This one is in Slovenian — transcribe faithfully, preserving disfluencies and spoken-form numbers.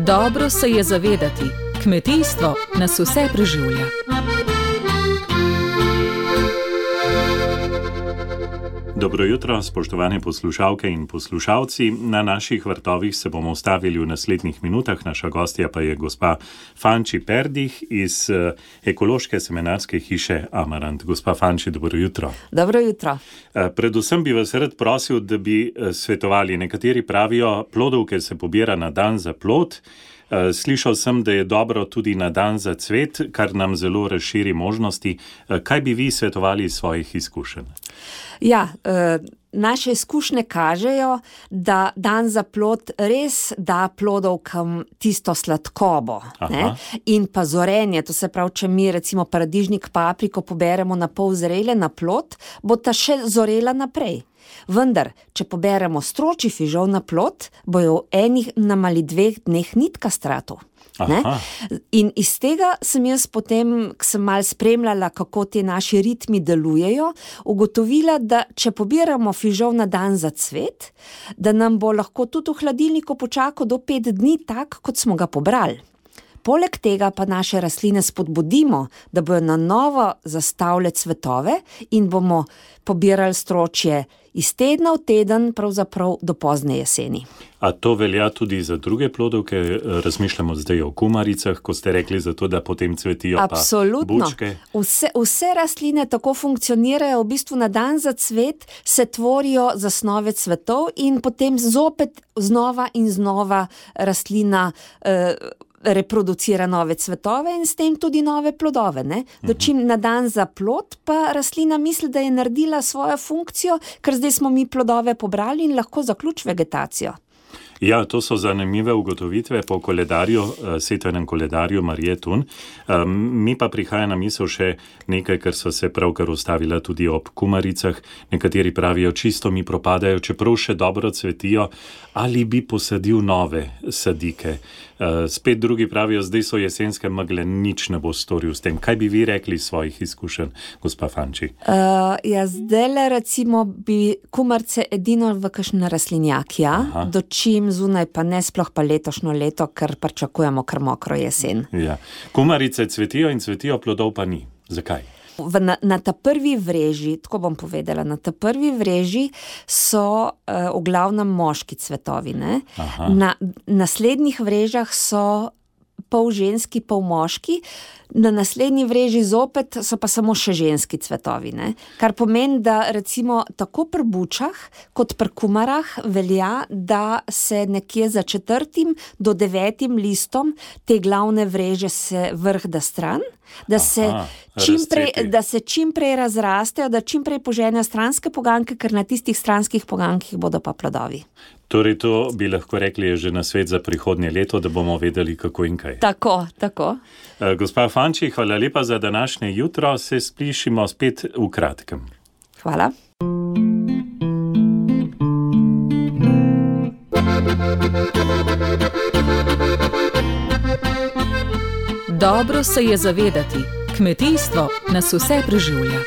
Dobro se je zavedati, kmetijstvo nas vse preživlja. Dobro jutro, spoštovane poslušalke in poslušalci. Na naših vrtovih se bomo ustavili v naslednjih minutah. Naša gostja pa je gospa Fanči Perdih iz ekološke semenarske hiše Amarant. Gospa Fanči, dobro jutro. Dobro jutro. Predvsem bi vas rad prosil, da bi svetovali. Nekateri pravijo, plodovke se pobira na dan za plod. Slišal sem, da je dobro tudi na dan za cvet, kar nam zelo razširi možnosti. Kaj bi vi svetovali iz svojih izkušenj? Ja, naše izkušnje kažejo, da dan za plod res da plodovkam tisto sladkobo, ne? In pa zorenje. To se pravi, če mi recimo paradižnik, papriko poberemo na pol zrele na plod, bo ta še zorela naprej. Vendar, če poberemo stročji fižol na plod, bojo v enih nam ali dveh dneh nitka stratov. In iz tega sem jaz potem, ko sem malo spremljala, kako ti naši ritmi delujejo, ugotovila, da če pobiramo fižol na dan za cvet, da nam bo lahko tudi v hladilniku počakal do pet dni tak, kot smo ga pobrali. Poleg tega pa naše rastline spodbudimo, da bojo na novo zastavile cvetove in bomo pobirali stročje iz tedna v teden, pravzaprav do pozne jeseni. A to velja tudi za druge plodovke? Razmišljamo zdaj o kumaricah, ko ste rekli, zato da potem cvetijo pa bučke. Vse, vse rastline tako funkcionirajo, v bistvu na dan za cvet se tvorijo zasnove cvetov in potem zopet znova in znova rastlina eh, reproducira nove cvetove in s tem tudi nove plodove. Ne? Dočim na dan za plod pa rastlina misli, da je naredila svojo funkcijo, ker zdaj smo mi plodove pobrali in lahko zaključ vegetacijo. Ja, to so zanimive ugotovitve po koledarju, setvenem koledarju Marije Tun. Mi pa prihaja na misel še nekaj, kar so se pravkar ustavila tudi ob kumaricah. Nekateri pravijo, čisto mi propadajo, čeprav še dobro cvetijo, ali bi posadil nove sadike. Spet drugi pravijo, zdaj so jesenske megle, nič ne bo storil s tem. Kaj bi vi rekli svojih izkušenj, gospa Fanči? Uh, ja, zdajle recimo bi kumarce edino v kakšen rastlinjak, ja, dočim zunaj pa ne, sploh pa letošnjo leto, ker pričakujemo kar mokro jesen. Ja. Kumarice cvetijo in cvetijo, plodov pa ni. Zakaj? V, na, na ta prvi vreži, tako bom povedala, na ta prvi vreži so uh, v glavnem moški cvetovi, ne? Na naslednjih vrežah so pol ženski, pol moški, na naslednji vreži zopet so pa samo še ženski cvetovi, ne? Kar pomeni, da recimo tako pri bučah kot pri kumarah velja, da se nekje za četrtim do devetim listom te glavne vreže se vrh da stran, da se, Aha, čim prej, da se čim prej razrastejo, da čim prej poženejo stranske poganke, ker na tistih stranskih pogankih bodo pa plodovi. Torej to bi lahko rekli je že na svet za prihodnje leto, da bomo vedeli kako in kaj. Tako, tako. Gospa Fanči, hvala lepa za današnje jutro, se slišimo spet v kratkem. Hvala. Dobro se je zavedati, kmetijstvo nas vse preživlja.